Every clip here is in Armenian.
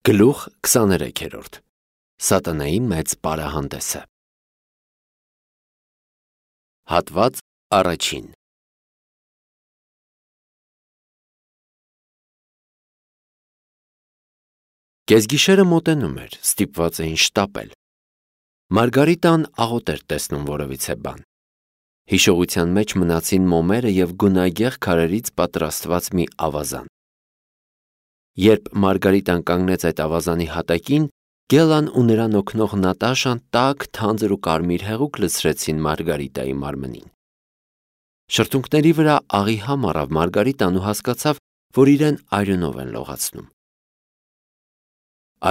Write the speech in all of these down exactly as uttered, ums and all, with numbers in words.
Գլուխ քսաներեքերորդ Սատանայի մեծ պարահանդեսը Հատված առաջին Կեսգիշերը մոտենում էր, ստիպված էին շտապել։ Մարգարիտան աղոտ էր տեսնում որևիցե բան։ Հիշողության մեջ մնացին մոմերը և գունագեղ քարերից պատրաստված մի ավազան։ Երբ Մարգարիտան կանգնեց այդ ավազանի հատակին, Գելան ու նրան օգնող Նատաշան տաք, թանձր ու կարմիր հեղուկ լցրեցին Մարգարիտայի մարմնին։ Շրթունքների վրա աղի համ առավ Մարգարիտան ու հասկացավ, որ իրեն արյունով են լողացնում։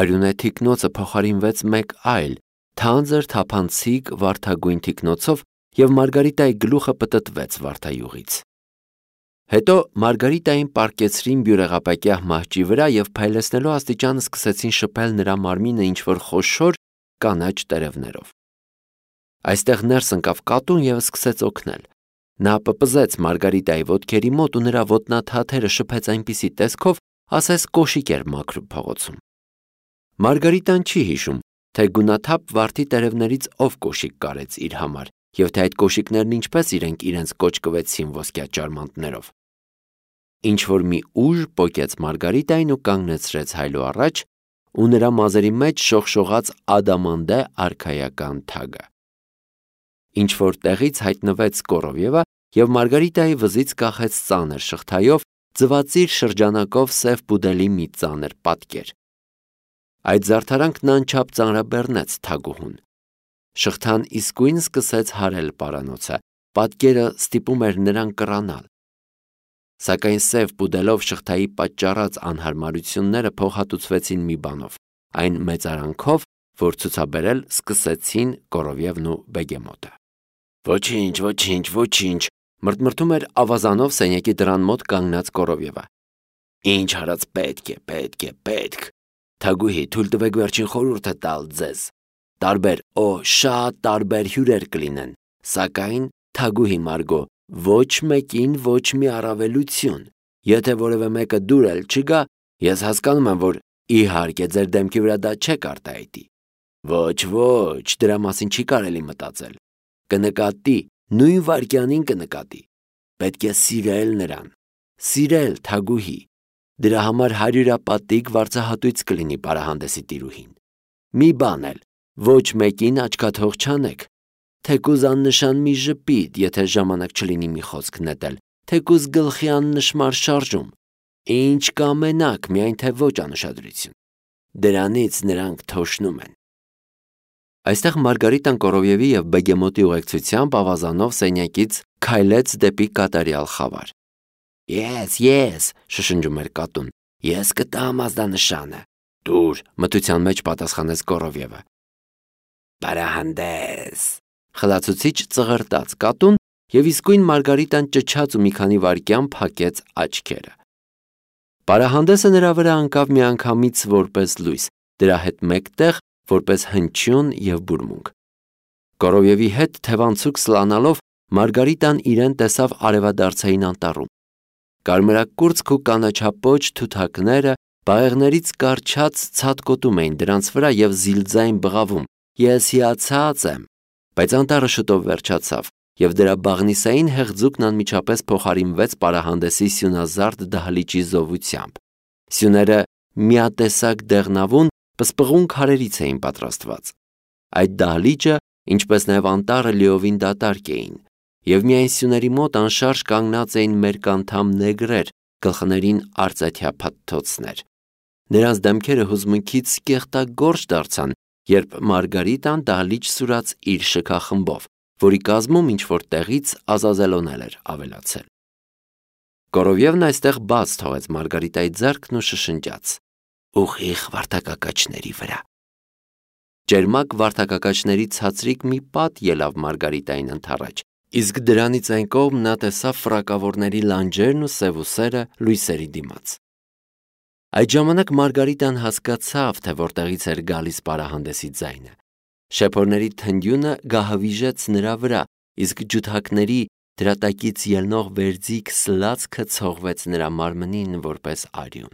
Արյունե թիկնոցը փոխարինվեց մեկ այլ, թանձր թափանցիկ վարդագույն թիկնոցով և Մարգարիտայի գլուխը պտտվեց վարդայուղից։ Հետո Մարգարիտային պառկեցրին բյուրեղապակյա մահճի վրա և փայլեցնելու աստիճան սկսեցին շփել նրա մարմինը ինչ-որ խոշոր կանաչ տերևներով։ Այստեղ ներս ընկավ կատուն և սկսեց օգնել։ Նա պպզեց Մարգարիտայի ոտքերի մոտ ու նրա ոտնաթաթերը շփեց այնպիսի տեսքով, ասես կոշիկ էր մաքրում փողոցում։ Մարգարիտան չի հիշում, թե գունաթափ վարդի տերևներից ով կոշիկ կարեց իր համար և թե այդ կոշիկներն ինչպես իրենք իրենց կոճկվեցին ոսկյա ճարմանտներով։ Ինչ-որ մի ուժ պոկեց Մարգարիտային ու կանգնեցրեց հայելու առաջ, ու նրա մազերի մեջ շողշողաց ադամանդե արքայական թագը։ Ինչ-որ տեղից հայտնվեց Կորովևը և Մարգարիտայի վզից կախեց ծանր շղթայով, ձվածիր շրջանակով սև պուդելի մի ծանր պատկեր։ Այդ զարդարանքն անչափ ծանրաբեռնեց թագուհուն։ Շղթան իսկույն սկսեց հարել պարանոցը, պատկերը ստիպում էր նրան կռանալ։ Սակայն սև պուդելով շղթայի պատճառած անհարմարությունները փոխհատուցվեցին մի բանով, այն մեծարանքով, որ ցուցաբերել սկսեցին Կորովևն ու Բեգեմոտը։ Ոչինչ, ոչինչ, ոչինչ, մրթմրթում էր ավազանով սենյակի դռան մոտ կանգնած Կորովևը։ Ինչ արած պետք է, պետք է, պետք։ Թագուհի, թույլ տվեք վերջին խորհուրդը տալ ձեզ։ Տարբեր, օ, շատ տարբեր հյուրեր կլինեն, սակայն, թագուհի Մարգո, ոչ մեկին ոչ մի առավելություն։ Եթե որևէ մեկը դուր էլ չգա, ես հասկանում եմ, որ իհարկե ձեր դեմքի վրա դա չեք արտահայտի։ Ոչ, ոչ, դրա մասին չի կարելի մտածել։ Կնկատի, նույն վայրկյանին կնկատի։ Պետք է սիրել նրան։ Սիրել, թագուհի։ Դրա համար հարյուրապատիկ վարձահատույց կլինի պարահանդեսի տիրուհին։ Մի բան էլ, ոչ մեկին աչքաթող չանեք։ Թեկուզ աննշան մի ժպիտ, եթե ժամանակ չլինի մի խոսք նետել, թեկուզ գլխի աննշմար շարժում։ Ինչ կամենաք, միայն թե ոչ անուշադրություն։ Դրանից նրանք թոշնում են։ Այստեղ Մարգարիտան Կորովևի և Բեգեմոտի ուղեկցությամբ ավազանով սենյակից քայլեց դեպի կատարյալ խավար։ Ես, ես, շշնջում էր կատուն, ես կտամ ազդանշանը։ Դուր, մթության մեջ պատասխանեց Կորովևը։ Պարահանդես, խլացուցիչ ծղրտաց կատուն և իսկույն Մարգարիտան ճչաց ու մի քանի վայրկյան փակեց աչքերը։ Պարահանդեսը նրա վրա ընկավ միանգամից որպես լույս, դրա հետ մեկտեղ որպես հնչյուն և բուրմունք։ Կորովևի հետ թևանցուկ սլանալով Մարգարիտան իրեն տեսավ արևադարձային անտառում։ Կարմրակուրծք ու կանաչապոչ թութակները բաղեղներից կառչած ցատկոտում էին դրանց վրա և զիլձայն բղավում. Ես հիացած եմ։ Բայց անտառը շուտով վերջացավ, և դրա բաղնիսային հեղձուկն անմիջապես փոխարինվեց պարահանդեսի սյունազարդ դահլիճի զովությամբ։ Սյուները միատեսակ դեղնավուն, պսպղուն քարերից էին պատրաստված։ Այդ դահլիճը, ինչպես նաև անտառը լիովին դատարկ էին, և միայն սյուների մոտ անշարժ կանգնած էին մերկանդամ նեգրեր, գլխներին արծաթյա փաթթոցներ։ Նրանց դեմքերը հուզմունքից կեղտագործ դարձան, երբ Մարգարիտան դահլիճ սուրաց իր շքախմբով, որի կազմում ինչ-որ տեղից Ազազելոն էր ավելացել։ Կորովևն այստեղ բաց թողեց Մարգարիտայի ձեռքն ու շշնջաց. Ուղիղ վարդակակաչների վրա։ Ճերմակ վարդակակաչների ցածրիկ մի պատ ելավ Մարգարիտային ընդառաջ, իսկ դրանից այն կողմ նա տեսավ ֆռակավորների լանջերն ու սևուսերը լույսերի դիմաց։ Այդ ժամանակ Մարգարիտան հասկացավ, թե որտեղից էր գալիս պարահանդեսի ձայնը։ Շեփորների թնդյունը գահավիժեց նրա վրա, իսկ ջութակների դրա տակից ելնող վերձիգ սլացքը ցողվեց նրա մարմնին որպես արյուն։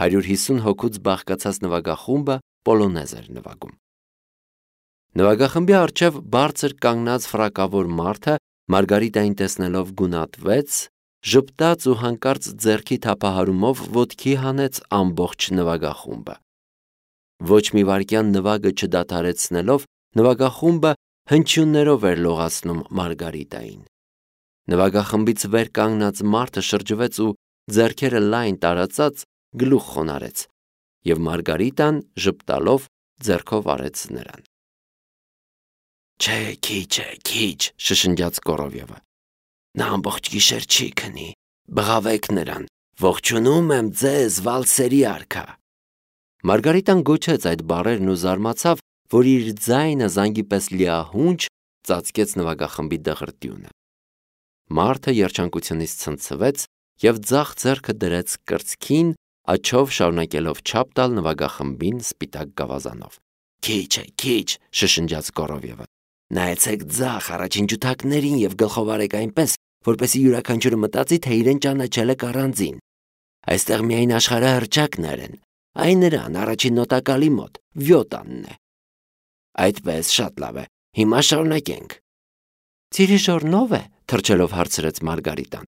հարյուր հիսուն հոգուց բաղկացած նվագախումբը պոլոնեզ էր նվագում։ Նվագախմբի առջև բարձր կանգնած ֆրակավոր մարդը Մարգարիտային տեսնելով գունատվեց, ժպտաց ու հանկարծ ձեռքի թափահարումով ոտքի հանեց ամբողջ նվագախումբը։ Ոչ մի վայրկյան նվագը չդադարեցնելով նվագախումբը հնչյուններով էր լողացնում Մարգարիտային։ Նվագախմբից վեր կանգնած մարդը շրջվեց ու ձեռքերը լայն տարածած գլուխ խոնարհեց, եւ Մարգարիտան ժպտալով ձեռքով արեց նրան։ Չէ, քիչ է, քիչ, շշնջաց Կորովյևը։ Նա ամբողջ գիշեր չի քնի, բղավեք նրան, ողջունում եմ ձեզ, վալսերի արքա։ Մարգարիտան գոչեց այդ բառերն ու զարմացավ, որ իր ձայնը զանգի պես լիահունչ ծածկեց նվագախմբի դղրդյունը։ Մարդը երջանկությունից ցնցվեց եւ ձախ ձեռքը դրեց կրծքին, աչով շարունակելով չափ տալ նվագախմբին սպիտակ գավազանով։ Քիչ է, քիչ, շշնջաց Կորովյևը։ Նայեցեք ձախ առաջին ջութակներին եւ գլխով արեք այնպես, որպեսզի յուրաքանչյուրը մտածի, թե իրեն ճանաչել է առանձին։ Այստեղ միայն աշխարհահռչակներ են։ Այն նրան առաջին նոտակալի մոտ վյոտանն է։ Այդպես շատ լավ է։ Հիմա շարունակենք։ Դիրիժորնով է, թրջելով հարցրեց Մարգարիտան։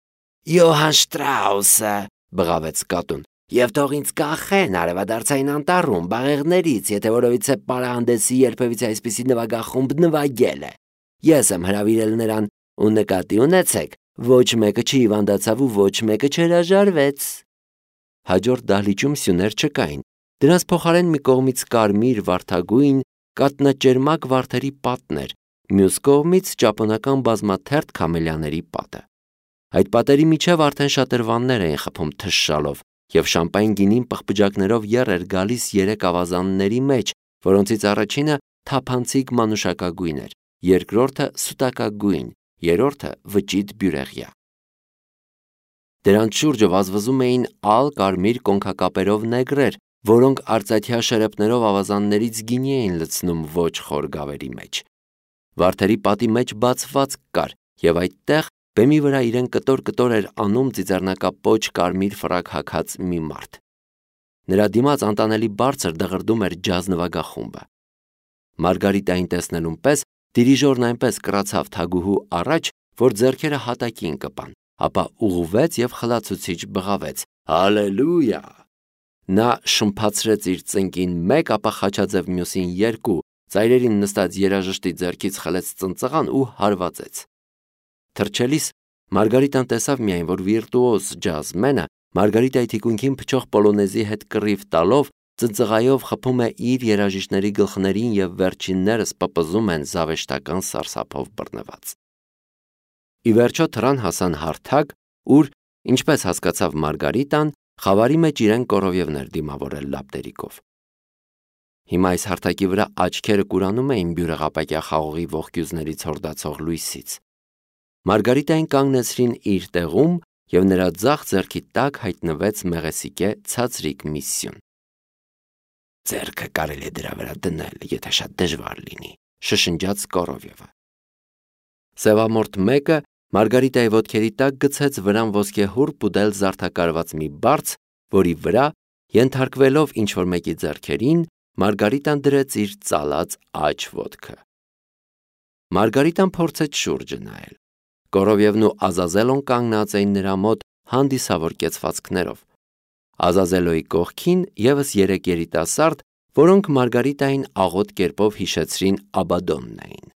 Յոհան Շտրաուսը, բղավեց կատուն։ Եվ թող ինձ կախեն արևադարձային անտառում բաղեղներից, եթե որովիցե պարահանդեսի երբևիցե այսպիսի նվագախումբ նվագել է։ Ես եմ հրավիրել նրան, ու նկատի ունեցեք, ոչ մեկը չհիվանդացավ ու ոչ մեկը չհրաժարվեց։ Հաջորդ դահլիճում սյուներ չկային։ Դրանց փոխարեն մի կողմից կարմիր վարդագույն կատնաճերմակ վարդերի պատներ, մյուս կողմից ճապոնական բազմաթերթ քամելիաների պատը։ Այդ պատերի միջև արդեն շատրվաններ էին խփում թշշալով, եւ շամպայն գինին պղպջակներով եռ էր գալիս երեք ավազանների մեջ, որոնցից առաջինը թափանցիկ մանուշակագույն էր, երկրորդը սուտակագույն, երրորդը վճիտ բյուրեղյա։ Դրանց շուրջը վազվզում էին ալ կարմիր կոնքակապերով նեգրեր, որոնք արծաթյա շերեպներով ավազաններից գինի էին լցնում ոչ խոր գավերի մեջ։ Վարդերի պատի մեջ բացվածք կար, եւ այդտեղ բեմի վրա իրեն կտոր-կտոր էր անում ծիծեռնակապոչ կարմիր ֆրակ հագած մի մարդ։ Նրա դիմաց անտանելի բարձր դղրդում էր ջազ նվագախումբը։ Մարգարիտային տեսնելուն պես դիրիժորն այնպես կրացավ թագուհու առաջ, որ ձեռքերը հատակին կպան, ապա ուղղվեց եւ խլացուցիչ բղավեց. Հալելույա։ Նա շմփացրեց իր ծնկին մեկ, ապա խաչաձև մյուսին երկու, ծայրերին նստած երաժշտի ձեռքից խլեց ծնծղան ու հարվածեց։ Թրջելիս Մարգարիտան տեսավ միայն, որ վիրտուոզ ջազմենը Մարգարիտայի թիկունքին փչող պոլոնեզի հետ կռիվ տալով ծնծղայով խփում է իր երաժիշտների գլխներին եւ վերջիններս պպզում են զավեշտական սարսափով բռնված։ Ի վերջո թռան հասան հարթակ, ուր, ինչպես հասկացավ Մարգարիտան, խավարի մեջ իրեն Կորովյևն էր դիմավորել լապտերիկով։ Հիմա այս հարթակի վրա աչքերը կուրանում էին բյուրեղապակյա խաղողի ողկյուզներից հորդացող լույսից։ Մարգարիտային կանգնեցրին իր տեղում եւ նրա ձախ ձեռքի տակ հայտնվեց մեղեսիկե ցածրիկ մի սյուն։ Ձեռքը կարելի է դրա վրա դնել, եթե շատ դժվար լինի, շշնջաց Կորովյևը։ Սևամորթ մեկը Մարգարիտայի ոտքերի տակ գցեց վրան ոսկեհուռ պուդել զարդակարված մի բարձ, որի վրա, ենթարկվելով ինչ-որ մեկի ձեռքերին, Մարգարիտան դրեց իր ծալած աջ ոտքը։ Մարգարիտան փորձեց շուրջը նայել։ Կորովյևն ու Ազազելոն կանգնած էին նրա մոտ հանդիսավոր կեցվածքներով։ Ազազելոյի կողքին եւս երեք երիտասարդ, որոնք Մարգարիտային աղոտ կերպով հիշեցրին Աբադոնն էին։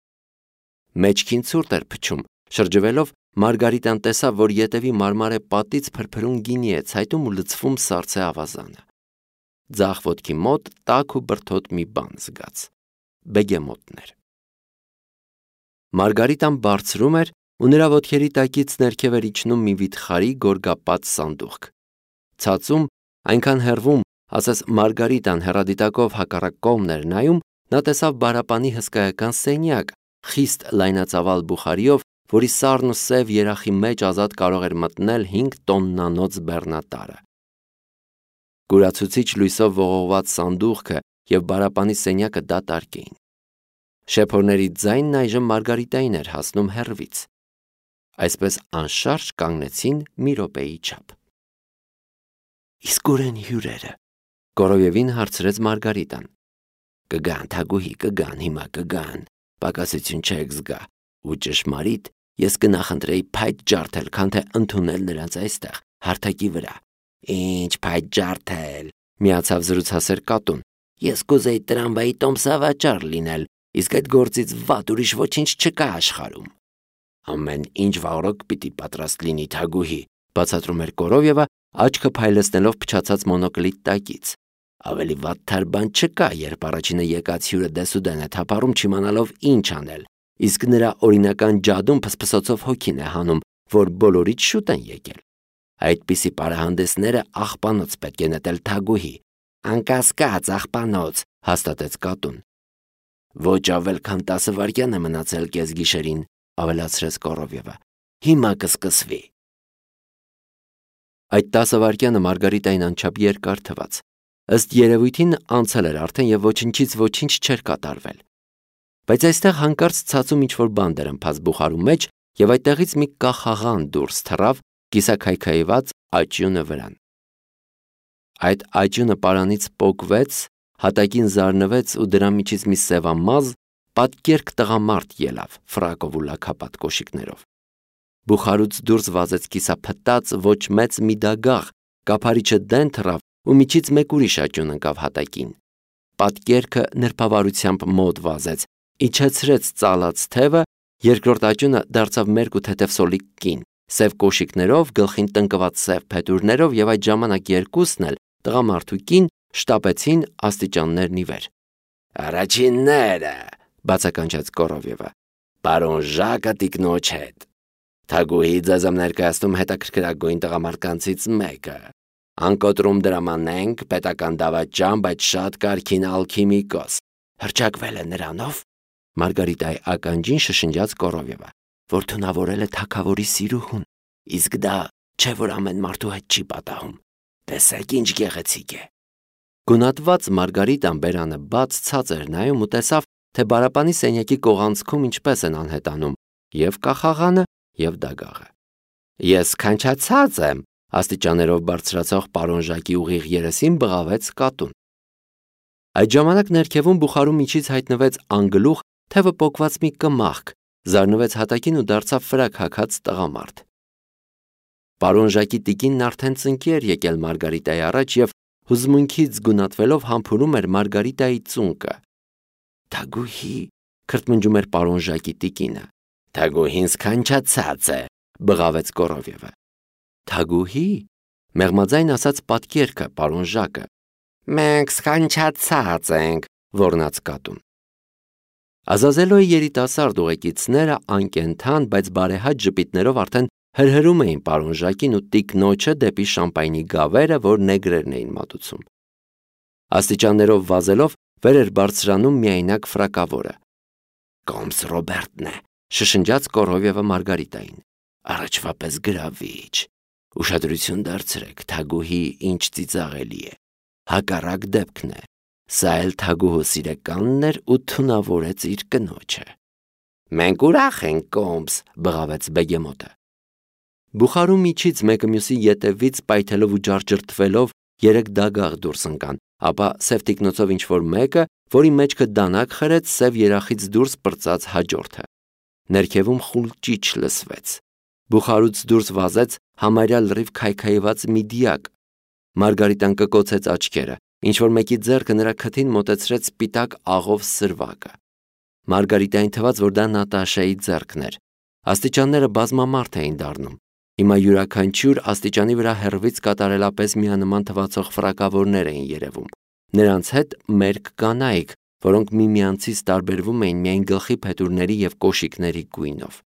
Մեջքին ցուրտ էր փչում, շրջվելով Մարգարիտան տեսավ, որ ետևի մարմարե պատից փրփրուն գինի է ցայտում ու լցվում սառցե ավազանը։ Ձախ ոտքի մոտ տաք ու բրդոտ մի բան զգաց։ Բեգեմոտներ։ Մարգարիտան բարձրում էր ու նրա ոտքերի տակից ներքև էր իջնում մի վիթխարի գորգապատ սանդուղք։ Ցածում, այնքան հեռվում, ասես Մարգարիտան հեռադիտակով հակառակ կողմն էր նայում, նա տեսավ բարապանի հսկայական սենյակ, խիստ լայնածավալ բուխարիով, որի սառն ու սև երախի մեջ ազատ կարող էր մտնել հինգ տոննանոց բեռնատարը։ Գուրացուցիչ լույսով ողողված սանդուղքը եւ բարապանի սենյակը դատարկ էին։ Շեփորների ձայնն այժմ Մարգարիտային էր հասնում հեռվից։ Այսպես անշարժ կանգնեցին մի րոպեի չափ։ Իսկ ուր են հյուրերը։ Կորովևին հարցրեց Մարգարիտան։ Կգան, Թագուհի, կգան, հիմա կգան, պակասություն չեք զգա, ու ճշմարիտ ես կնախընտրեի փայտ ջարդել, քան թե ընդունել նրանց այստեղ, հարթակի վրա։ Ինչ փայտ ջարդել, միացավ զրուցասեր կատուն։ Ես կուզեի տրամվայի տոմսավաճառ լինել, իսկ այդ գործից վատ ուրիշ ոչինչ չկա աշխարհում։ Ամեն ինչ վաղրոք պիտի պատրաստ լինի, Թագուհի, բացատրում էր Կորովևը, աչքը փայլեցնելով փչացած մոնոկլի տակից։ Ավելի վատ թար բան չկա, երբ առաջինը եկած հյուրը դեսուդեն է թափառում չիմանալով ինչ անել, իսկ նրա օրինական ջադում փսփսոցով հոգին է հանում, որ բոլորից շուտ են եկել։ Այդպիսի պարահանդեսները աղբանոց պետք է նետել, Թագուհի։ Անկասկած աղբանոց, հաստատեց կատուն։ Ոչ ավել քան տասը վայրկյան է մնացել կեսգիշերին, ավելացրեց Կորովևը։ Հիմա կսկսվի։ Այդ տասը վայրկյանը Մարգարիտային անչափ երկար թվաց։ Ըստ երևույթին անցել էր արդեն եւ ոչնչից ոչինչ չէր կատարվել։ Բայց այստեղ հանկարծ ցածում ինչ-որ բան դրմփաց բուխարու մեջ եւ այդտեղից մի կախաղան դուրս թռավ կիսաքայքայված աճյունը վրան։ Այդ աճյունը պարանից պոկվեց, հատակին զարնվեց ու դրա միջից մի սևամազ, պատկերք տղամարդ ելավ, ֆրակով ու լաքապատ կոշիկներով։ Բուխարուց դուրս վազեց կիսափտած ոչ մեծ մի դագաղ, կափարիչը դեն թռավ ու միջից մեկ ուրիշ աճյուն ընկավ հատակին։ Պատկերքը նրբավարությամբ մոտ վազեց, իջեցրեց ծալած թևը, երկրորդ աճյունը դարձավ մերկ ու թեթև սոլիկ կին, սև կոշիկներով, գլխին տնկված սև փետուրներով եւ այդ ժամանակ երկուսն էլ տղամարդու կին շտապեցին աստիճաններն ի վեր։ Առաջինները, բացականչեց Կորովևը, պարոն Ժակը տիկնոջ հետ։ Թագուհի ձեզ եմ ներկայացնում հետաքրքրագույն տղամարդկանցից մեկը։ Անկոտրում դրամանենք պետական դավաճան, բայց շատ կարքին ալքիմիկոս։ Հրճակվել է նրանով։ Մարգարիտայի ականջին շշնջաց Կորովևը, որ թունավորել է թագավորի սիրուհուն, իսկ դա չէ որ ամեն մարդու հետ չի պատահում։ Տեսեք ինչ գեղեցիկ է։ Գունատված Մարգարիտան բերանը բաց ցած էր նայում ու տեսավ, թե բարապանի սենյակի կողանցքում ինչպես են անհետանում եւ կախաղանը եւ դագաղը։ Ես քանչացած եմ, աստիճաներով բարձրացող պարոն Ժակի ուղիղ երեսին բղավեց կատուն։ Այդ ժամանակ ներքևում բուխարու միջից հայտնվեց անգլուխ թևը պոկված մի կմախք, զարնվեց հատակին ու դարձավ ֆրակ հագած տղամարդ։ Պարոն Ժակի տիկինն արդեն ծնկի էր եկել Մարգարիտայի առաջ եւ հուզմունքից գունատվելով համբուրում էր Մարգարիտայի ծունկը։ Թագուհի, քրթմնջում էր պարոն Ժակի տիկինը։ Թագուհին սքանչացած է, բղավեց Կորովևը։ Թագուհի, մեղմաձայն ասաց պատկերքը պարոն Ժակը։ Մենք սքանչացած ենք, ոռնաց կատուն։ Ազազելոյի երիտասարդ ուղեկիցները անկենթան, բայց բարեհաճ ժպիտներով արդեն հրհրում էին պարոն Ժակին ու տիկնոջը դեպի շամպայնի գավերը, որ նեգրերն էին մատուցում։ Աստիճաններով վազելով վեր էր բարձրանում միայնակ ֆրակավորը։ Կոմս Ռոբերտն է, շշնջաց Կորովևը Մարգարիտային։ Առաջվա պես գրավիչ։ Ուշադրություն դարձրեք, Թագուհի ինչ ծիծաղելի է։ Հակառակ դեպքն է։ Սա էլ Թագուհու սիրեկանն էր ու թունավորեց իր կնոջը։ Մենք ուրախ ենք, Կոմս, բղավեց Բեգեմոտը։ Բուխարու միջից մեկը մյուսի ետևից պայթելով ու ջարջրտվելով երեք դագաղ դուրս ընկան, ապա սև տիկնոցով ինչ-որ մեկը, որի մեջքը դանակ խրեց սև երախից դուրս պրծած հաջորդը։ Ներքևում խուլ ճիչ լսվեց։ Բուխարուց դուրս վազեց համարյա լրիվ քայքայված մի դիակ։ Մարգարիտան կկոցեց աչքերը, ինչ-որ մեկի ձեռքը նրա քթին մոտեցրեց սպիտակ աղով սրվակը։ Մարգարիտային թվաց, որ դա Նատաշայի ձեռքն էր։ Աստիճանները բազմամարդ էին դառնում։ Հիմա յուրաքանչյուր աստիճանի վրա հեռվից կատարելապես միանման թվացող ֆրակավորներ էին երևում։ Նրանց հետ մերկ կանայք, որոնք միմյանցից տարբերվում էին միայն գլխի փետուրների եւ կոշիկների գույնով։